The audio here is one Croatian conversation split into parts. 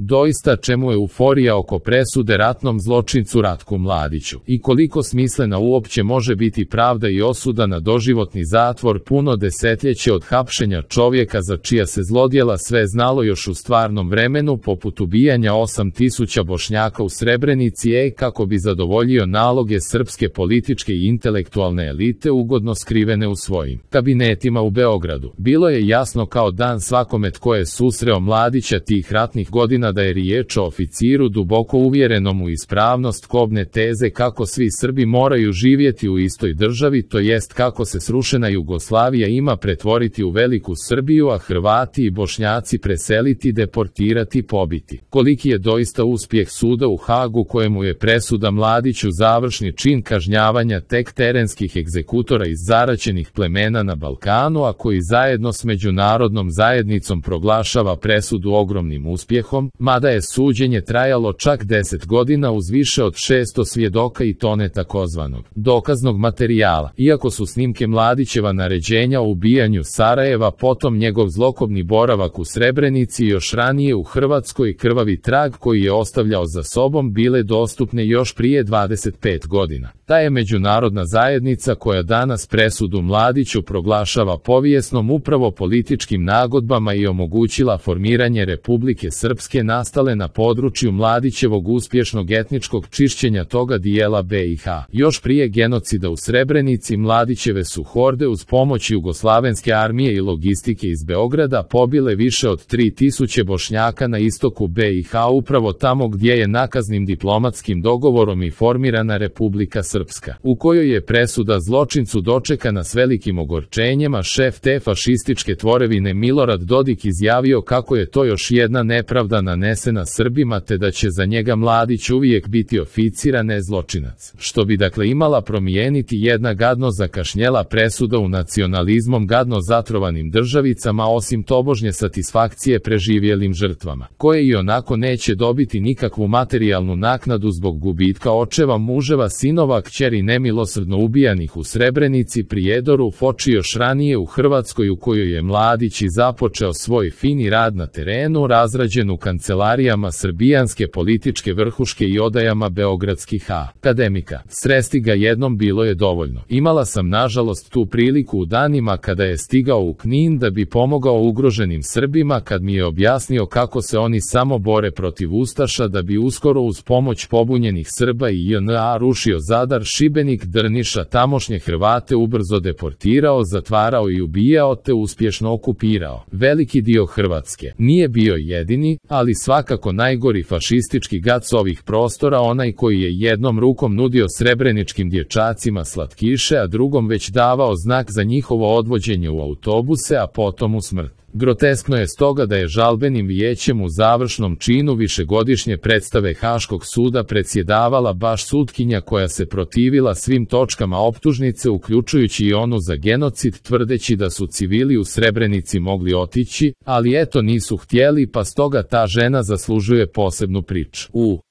Doista čemu je euforija oko presude ratnom zločincu Ratku Mladiću? I koliko smislena uopće može biti pravda i osuda na doživotni zatvor puno desetljeće od hapšenja čovjeka za čija se zlodjela sve znalo još u stvarnom vremenu, poput ubijanja 8000 Bošnjaka u Srebrenici, kako bi zadovoljio naloge srpske političke i intelektualne elite ugodno skrivene u svojim kabinetima u Beogradu. Bilo je jasno kao dan svakome tko je susreo Mladića tih ratnih godina da je riječ o oficiru duboko uvjerenom u ispravnost kobne teze kako svi Srbi moraju živjeti u istoj državi, to jest kako se srušena Jugoslavija ima pretvoriti u veliku Srbiju, a Hrvati i Bošnjaci preseliti, deportirati, pobiti. Koliki je doista uspjeh suda u Hagu kojemu je presuda Mladiću završni čin kažnjavanja tek terenskih egzekutora iz zaraćenih plemena na Balkanu, a koji zajedno s međunarodnom zajednicom proglašava presudu ogromnim uspjehom, mada je suđenje trajalo čak 10 godina uz više od 600 svjedoka i tone takozvanog dokaznog materijala. Iako su snimke Mladićeva naređenja o ubijanju Sarajeva, potom njegov zlokobni boravak u Srebrenici i još ranije u Hrvatskoj krvavi trag koji je ostavljao za sobom bile dostupne još prije 25 godina. Ta je međunarodna zajednica koja danas presudu Mladiću proglašava povijesnom upravo političkim nagodbama i omogućila formiranje Republike Srpske nastale na području Mladićevog uspješnog etničkog čišćenja toga dijela BiH. Još prije genocida u Srebrenici Mladićeve su horde uz pomoć Jugoslavenske armije i logistike iz Beograda pobile više od 3000 Bošnjaka na istoku BiH, upravo tamo gdje je nakaznim diplomatskim dogovorom i formirana Republika Srpska, u kojoj je presuda zločincu dočekana s velikim ogorčenjem, a šef te fašističke tvorevine Milorad Dodik izjavio kako je to još jedna nepravda nanesena Srbima te da će za njega Mladić uvijek biti oficir, a ne zločinac. Što bi dakle imala promijeniti jedna gadno zakašnjela presuda u nacionalizmom gadno zatrovanim državicama, osim tobožnje satisfakcije preživjelim žrtvama, koje i onako neće dobiti nikakvu materijalnu naknadu zbog gubitka očeva, muževa, sinova, kćeri nemilosrdno ubijanih u Srebrenici, Prijedoru, Foči još ranije u Hrvatskoj, u kojoj je Mladić i započeo svoj fini rad na terenu, razrađen u kancelarijama srbijanske političke vrhuške i odajama beogradskih akademika. Sresti ga jednom bilo je dovoljno. Imala sam nažalost tu priliku u danima kada je stigao u Knin da bi pomogao ugroženim Srbima, kad mi je objasnio kako se oni samo bore protiv ustaša da bi uskoro uz pomoć pobunjenih Srba i JNA rušio Zadar, Šibenik, Drniš, a tamošnje Hrvate ubrzo deportirao, zatvarao i ubijao te uspješno okupirao veliki dio Hrvatske. Nije bio jedini, ali svakako najgori fašistički gad s ovih prostora, onaj koji je jednom rukom nudio srebreničkim dječacima slatkiše, a drugom već davao znak za njihovo odvođenje u autobuse, a potom u smrt. Groteskno je stoga da je žalbenim vijećem u završnom činu višegodišnje predstave Haškog suda predsjedavala baš sutkinja koja se protivila svim točkama optužnice, uključujući i onu za genocid, tvrdeći da su civili u Srebrenici mogli otići, ali eto nisu htjeli, pa stoga ta žena zaslužuje posebnu priču.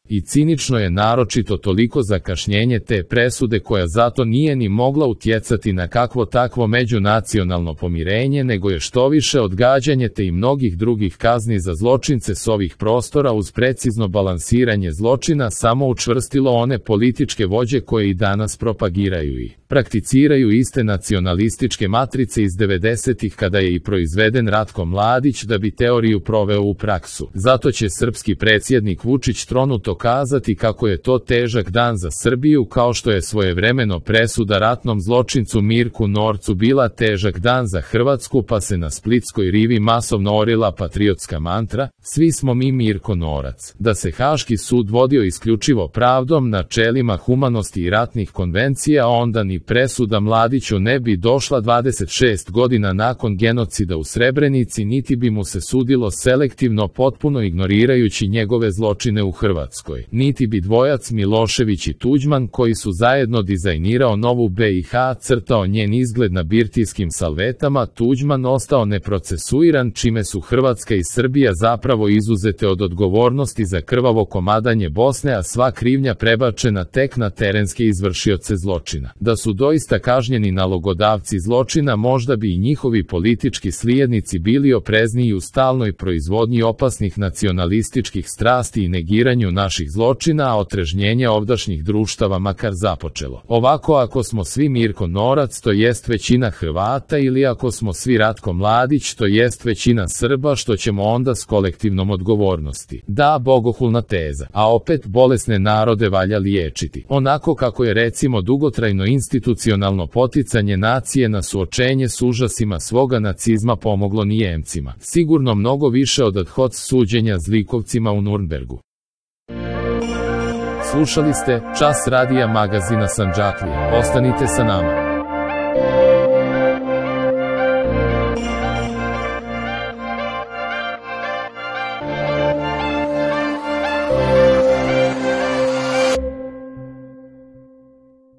I cinično je naročito toliko zakašnjenje te presude, koja zato nije ni mogla utjecati na kakvo takvo međunacionalno pomirenje, nego je štoviše odgađanje te i mnogih drugih kazni za zločince s ovih prostora uz precizno balansiranje zločina samo učvrstilo one političke vođe koje i danas propagiraju i prakticiraju iste nacionalističke matrice iz 90-ih, kada je i proizveden Ratko Mladić da bi teoriju proveo u praksu. Zato će srpski predsjednik Vučić tronuto kazati kako je to težak dan za Srbiju, kao što je svojevremeno presuda ratnom zločincu Mirku Norcu bila težak dan za Hrvatsku, pa se na splitskoj rivi masovno orila patriotska mantra "Svi smo mi Mirko Norac". Da se Haški sud vodio isključivo pravdom, načelima humanosti i ratnih konvencija, onda ni presuda Mladiću ne bi došla 26 godina nakon genocida u Srebrenici, niti bi mu se sudilo selektivno, potpuno ignorirajući njegove zločine u Hrvatskoj. Hrvatskoj. Niti bi dvojac Milošević i Tuđman, koji su zajedno dizajnirao novu BiH, crtao njen izgled na birtijskim salvetama, Tuđman ostao neprocesuiran, čime su Hrvatska i Srbija zapravo izuzete od odgovornosti za krvavo komadanje Bosne, a sva krivnja prebačena tek na terenske izvršioce zločina. Da su doista kažnjeni nalogodavci zločina, možda bi i njihovi politički slijednici bili oprezniji u stalnoj proizvodnji opasnih nacionalističkih strasti i negiranju naših zločina, a otrežnjenje ovdašnjih društava makar započelo. Ovako, ako smo svi Mirko Norac, to jest većina Hrvata, ili ako smo svi Ratko Mladić, to jest većina Srba, što ćemo onda s kolektivnom odgovornosti? Da, bogohulna teza. A opet, bolesne narode valja liječiti. Onako kako je recimo dugotrajno institucionalno poticanje nacije na suočenje s užasima svoga nacizma pomoglo Nijemcima. Sigurno mnogo više od ad hoc suđenja zlikovcima u Nurnbergu. Slušali ste Čas radija magazina Sandžaklije. Ostanite sa nama.